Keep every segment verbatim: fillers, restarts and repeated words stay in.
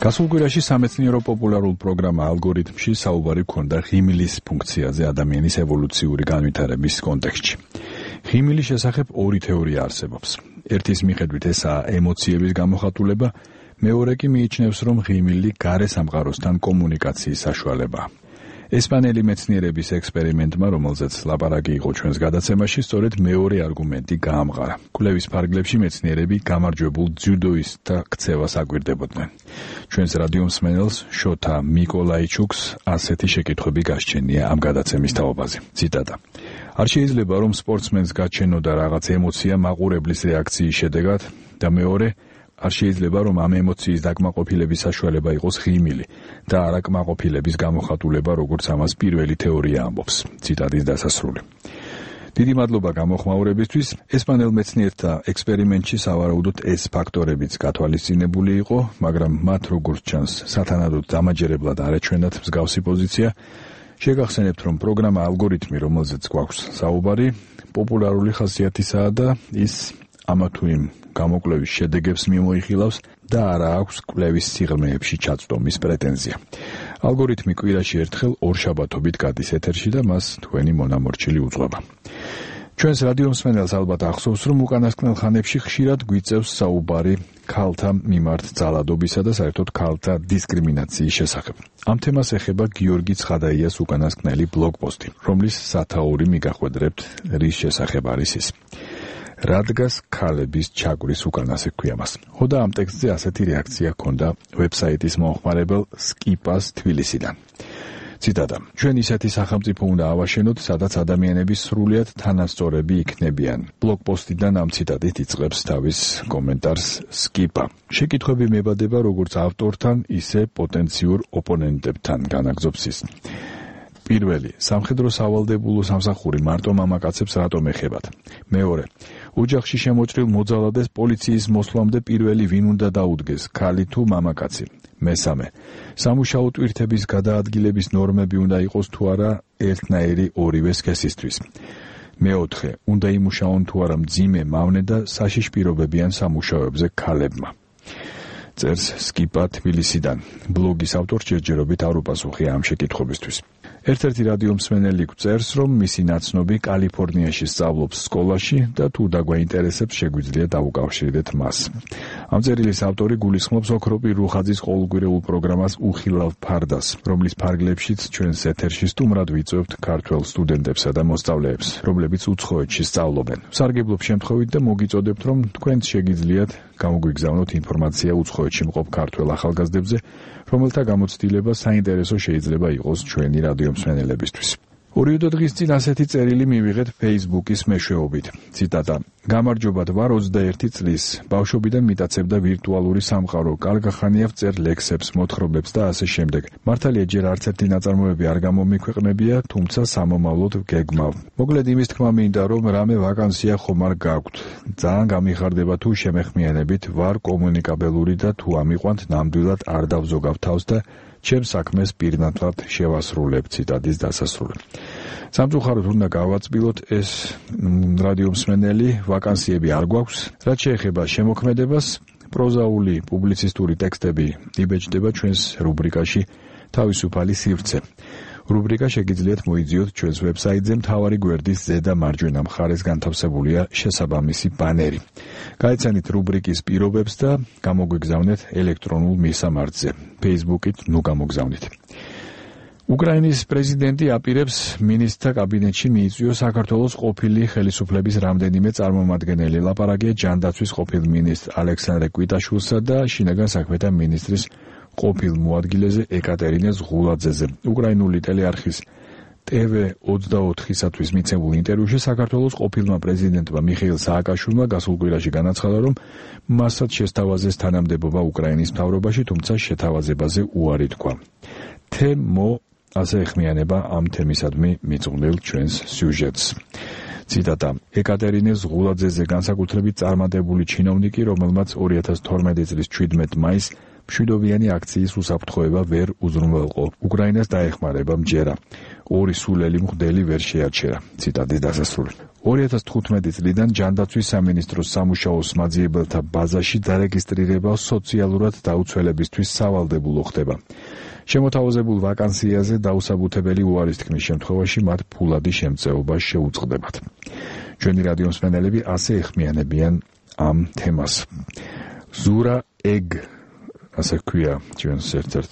გასულ კვირაში სამეცნიერო პოპულარულ პროგრამა ალგორითმში საუბარი ჰქონდა ღიმილის ფუნქციაზე ადამიანის ევოლუციური განვითარების კონტექსტში. ღიმილის შესახებ ორი თეორია არსებობს. ერთის მიხედვით ესაა ემოციების გამოხატულება, მეორე კი მიიჩნევს, რომ ღიმილი გარე სამყაროსთან კომუნიკაციის საშუალებაა. ესპანელი მეცნიერების ექსპერიმენტმა, რომელზეც ლაპარაკი იყო ჩვენს გადაცემაში, სწორედ მეორე არგუმენტი გაამყარა. კვლევის ფარგლებში მეცნიერები გამარჯვებულ ძიუდოისტთა ქცევას აკვირდებოდნენ. ჩვენს რადიო მსმენელს შოთა მიკოლაიჩუკს ასეთი შეკითხვები გასჩენია ამ გადაცემის თაობაზე. ციტატა: არ შეიძლება რომ სპორტსმენს გაჩენოდა რაღაც ემოცია მაყურებლის რეაქციის შედეგად და მეორე არ შეიძლება რომ ამ ემოციის დაკმაყოფილების საშუალება იყოს ღიმილი და არა კმაყოფილების გამოხატულება, როგორც ამას პირველი თეორია ამბობს. ციტატის დასასრული. დიდი მადლობა გამოხმაურებისთვის. ესპანელ მეცნიერთა ექსპერიმენტში სავარაუდოდ ეს ფაქტორებიც გათვალისწინებული იყო, მაგრამ მათ როგორც ჩანს სათანადოდ დამაჯერებლად არ ეჩვენათ მსგავსი პოზიცია. შეგახსენებთ, რომ პროგრამა ალგორითმი, რომელზეც გვაქვს საუბარი, პოპულარული ხასიათისაა და ის ამა თუ იმ გამოკვლევის შედეგებს მიმოიხილავს და არა აქვს კვლევის სიღრმეებში ჩაწვდომის პრეტენზია. ალგორითმი კვირაში ერთხელ ორშაბათობით გადის ეთერში და მას თქვენი მონამორჩილი უძღვება. ჩვენს რადიო მსმენელს ალბათ ახსოვს, რომ უკანასკნელ ხანებში ხშირად გვიწევს საუბარი ქალთა მიმართ ძალადობისა და საერთოდ ქალთა დისკრიმინაციის შესახებ. ამ თემას ეხება გიორგი ცხადაიას უკანასკნელი ბლოგპოსტი, რომლის სათაური მიგახვედრებთ, რის შესახებ არის ის. რადგას ქალების ჩაგვრის უკანასე ჰქვია მას. ხო და ამ ტექსტზე ასეთი რეაქცია ჰქონდა ვებსაიტის მომხმარებელ სკიპას თბილისიდან. ციტატა: ჩვენ ისეთი სახელმწიფო უნდა ავაშენოთ, სადაც ადამიანები სრულიად თანასწორები იქნებიან. ბლოგპოსტიდან ამ ციტატით იწყებს თავის კომენტარს სკიპა. შეკითხვები მებადება როგორც ავტორთან, ისე პოტენციურ ოპონენტებთან, განაგზობს ის. პირველი, სამხედრო სავალდებულო სამსახური მარტო მამაკაცებს რატომ ეხებათ? მეორე, ოჯახში შემოჭრილ მოძალადეს პოლიციის მოსვლამდე პირველი ვინ უნდა დაუდგეს, ქალი თუ მამაკაცი? მესამე, სამუშაო ტვირთების გადაადგილების ნორმები უნდა იყოს თუ არა ერთნაირი ორივე სქესისთვის. მეოთხე, უნდა იმუშაონ თუ არა მძიმე, მავნე და საშიშ პირობებიან სამუშაოებზე ქალებმა. წერს სკიპა თბილისიდან. ბლოგის ავტორს ჯერჯერობით არ უპასუხია ამ შეკითხვებისთვის. ერთ-ერთი რადიო მსმენელი გვწერს, რომ მისი ნაცნობი კალიფორნიაში სწავლობს სკოლაში და თუ დაგვაინტერესებს, შეგვიძლია დავუკავშირდეთ მას. ამ წერილის ავტორი გულისხმობს ოქროპი რუხაძის ყოველკვირეულ პროგრამას უხილავ ფარდას, რომლის ფარგლებშიც ჩვენს ეთერში სტუმრად ვიწვევთ ქართველ სტუდენტებსა და მოსწავლეებს, რომლებიც უცხოეთში სწავლობენ. სარგებლობ შემთხვევით და მოგიწოდებთ, რომ თქვენც შეგიძლიათ გამოგვიგზავნოთ ინფორმაცია უცხოეთში მყოფ ქართველ ახალგაზრდებზე, რომელთა გამოცდილება საინტერესო შეიძლება იყოს ჩვენი რადიო მსმენელებისთვის. ორი-ორი დღის წინ ასეთი წერილი მივიღეთ Facebook-ის მეშვეობით. ციტატა: გამარჯობათ, ვარ ოცდაერთი წლის. ბავშვობიდან მიტაცებდა ვირტუალური სამყარო. კარგ ხანია ვწერ ლექსებს, მოთხრობებს და ასე შემდეგ. მართალია ჯერ არც ერთი ნაწარმოები არ გამომიქვეყნებია, თუმცა სამომავლოდ გეგმავ. მოკლედ იმის თქმა მინდა, რომ რამე ვაკანსია ხომ არ გაქვთ. ძალიან გამიხარდება თუ შემეხმიანებით, ვარ კომუნიკაბელური და თუ ამიყვანთ, ნამდვილად არ დავზოგავ თავს და ჩემ საქმეს პირნათლად შევასრულებ. ციტატის დასასრული. სამწუხაროდ უნდა გავაწბილოთ, ეს რადიო მსმენელი, ვაკანსიები არ გვაქვს. რაც შეეხება შემოქმედებას, პროზაული პუბლიცისტური ტექსტები იბეჭდება ჩვენს რუბრიკაში თავისუფალი სივრცე. რუბრიკა შეგიძლიათ მოიძიოთ ჩვენს ვებსაიტზე, მთავარი გვერდის ზედა მარჯვენა მხარეს განთავსებულია შესაბამისი ბანერი. გაეცანით რუბრიკის პირობებს და გამოგვიგზავნეთ ელექტრონულ მისამართზე. Facebook-ით ნუ გამოგზავნით. უკრაინის პრეზიდენტი აპირებს მინისტრთა კაბინეტში მიიწვიოს საქართველოს ყოფილი ხელისუფლების რამდენიმე წარმომადგენელი. ლაპარაკია ჯანდაცვის ყოფილ მინისტრ ალექსანდრე კვიტაშვილსა და შინაგან საქმეთა მინისტრის ყოფილ მოადგილეზე ეკატერინე ზღულაძეზე. უკრაინული ტელეარხის ტე ვე ოცდაოთხისათვის მიცემულ ინტერვიუში საქართველოს ყოფილმა პრეზიდენტმა მიხეილ სააკაშვილმა გასულ კვირაში განაცხადა, რომ მასაც შესთავაზეს თანამდებობა უკრაინის მთავრობაში, თუმცა შეთავაზებაზე უარი თქვა. თემო ასე ეხმიანება ამ თემისადმი მიძღვნილ ჩვენს სიუჟეტს. ციტატა: ეკატერინე ზღულაძეზე განსაკუთრებით წარმატებული ჩინოვნიკი, რომელმაც ორი ათას თორმეტი წლის ჩვიდმეტ მაისს მშვიდობიანი აქციის უსაფრთხოება ვერ უზრუნველყო. უკრაინას დაეხმარება მჯერა. ორი სულელი მღვდელი ვერ შეარჩერა. ციტატის დასასრული. ორი ათას თხუთმეტი წლიდან ჯანდაცვის სამინისტროს სამუშაოს მაძიებელთა ბაზაში დარეგისტრირება სოციალურად დაუცველებისთვის სავალდებულო ხდება. შემოთავაზებულ ვაკანსიაზე დაუსაბუთებელი უარის თქმის შემთხვევაში მათ ფულადი შემწეობა შეუწყდებათ. ჩვენი რადიო მსმენელები ასე ეხმიანებიან ამ თემას. ზურა ეგ ასე ქვია ჩვენს ერთ-ერთ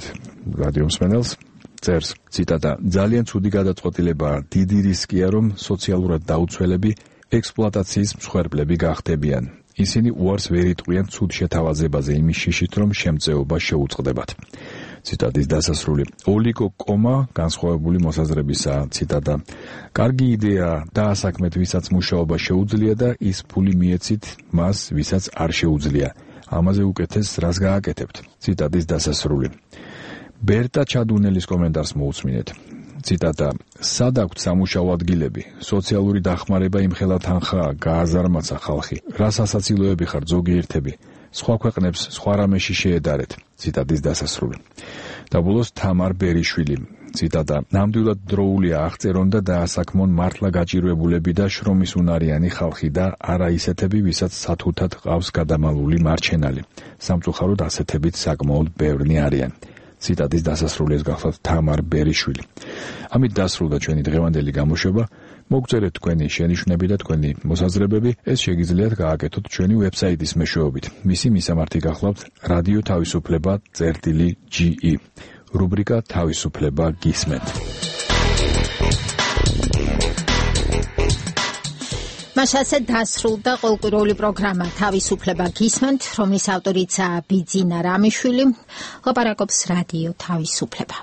რადიო მსმენელს წერს ციტატა ძალიან ცუდი გადაწყვეტილებაა დიდი რისკია რომ სოციალურად დაუცველები ექსპლუატაციის მსხვერპლები გახდებიან. ისინი უარს ვერ იტყვიან ცუდ შეთავაზებაზე იმის შიშით რომ შემწეობა შეუწყდებათ. ციტატის დასასრული. ოლიგო კომა განსხვავებული მოსაზრებისაა. ციტატა. კარგი იდეაა დაასაქმეთ ვისაც მუშაობა შეუძლია და ის ფული მიეცით მას ვისაც არ შეუძლია. ამაზე უკეთეს რას გააკეთებთ. ციტატის დასასრული. ბერტა ჩადუნელის კომენტარს მოусმინეთ. ციტატა. სად აქვთ სამუშაო ადგილები? სოციალური დახმარება იმხელა თანხაა, გააზარმაცა ხალხი. რას ასაცილოები ხართ ზოგიერთები? სხვა ქვეყნებს სხვა რამეში შეედარეთ. ციტატის დასასრული. და ბოლოს თამარ ბერიშვილი. ციტატა. ნამდვილად დროულია აღწერონ და დაასაქმონ მართლა გაჭირვებულები და შრომის უნარიანი ხალხი და არა ისეთები, ვისაც სათუთად ყავს გადამალული მარჩენალი. სამწუხაროდ ასეთებიც საკმაოდ ბევრნი არიან. ციტატის დასასრულის გახლავთ თამარ ბერიშვილი. ამით დასრულდა ჩვენი დღევანდელი გამოშვება. მოგწერეთ თქვენი შენიშვნები და თქვენი მოსაზრებები, ეს შეგიძლიათ გააკეთოთ ჩვენი ვებსაიტის მეშვეობით. მისი მისამართი გახლავთ რადიო თავისუფლება წერტილი ჯი ი. რუბრიკა თავისუფლება გისმენთ. მასაზე დასრულდა ყოველკვირეული პროგრამა თავისუფლება გისმენთ, რომლის ავტორიცაა ბიძინა რამიშვილი. ლაპარაკობს რადიო თავისუფლება.